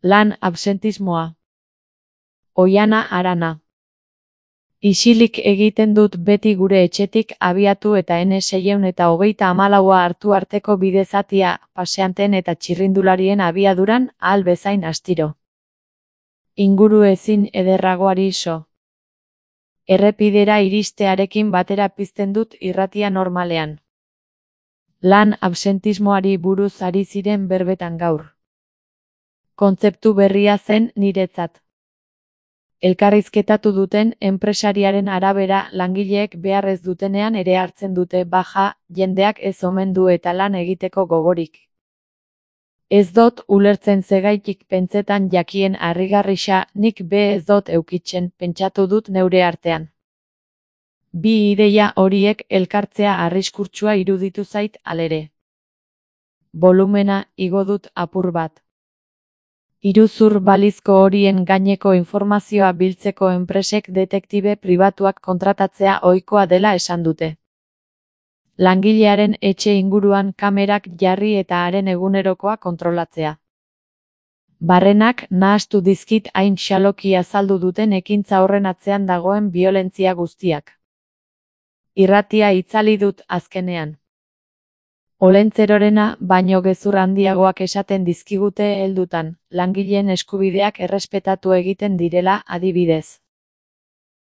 Lan absentismoa. Oiana Arana. Isilik egiten dut beti gure etxetik abiatu eta N634 hartu arteko bide zatia, paseanteen eta txirrindularien abiaduran, ahal bezain astiro. Inguru ezin ederragoari so. Errepidera iristearekin batera pizten dut irratia normalean. Lan absentismoari buruz ari ziren berbetan gaur. Kontzeptu berria zen niretzat. Elkarrizketatu duten enpresariaren arabera langileek behar ez dutenean ere hartzen dute baja, jendeak ez omen du eta lan egiteko gogorik. Ez dot ulertzen zegaitik pentsetan jakien harrigarrisa, nik be ez dot eukitzen, pentsatu dut neure artean. Bi ideia horiek elkartzea arriskurtsua iruditu zait alere. Volumena igo dut apur bat. Iruzur balizko horien gaineko informazioa biltzeko enpresek detektibe pribatuak kontratatzea ohikoa dela esan dute. Langilearen etxe inguruan kamerak jarri eta haren egunerokoa kontrolatzea. Barrenak nahastu dizkit hain xaloki azaldu duten ekintza horren atzean dagoen biolentzia guztiak. Irratia itzali dut azkenean. Olentzerorena baino gezur handiagoak esaten dizkigute heldutan, langileen eskubideak errespetatu egiten direla adibidez.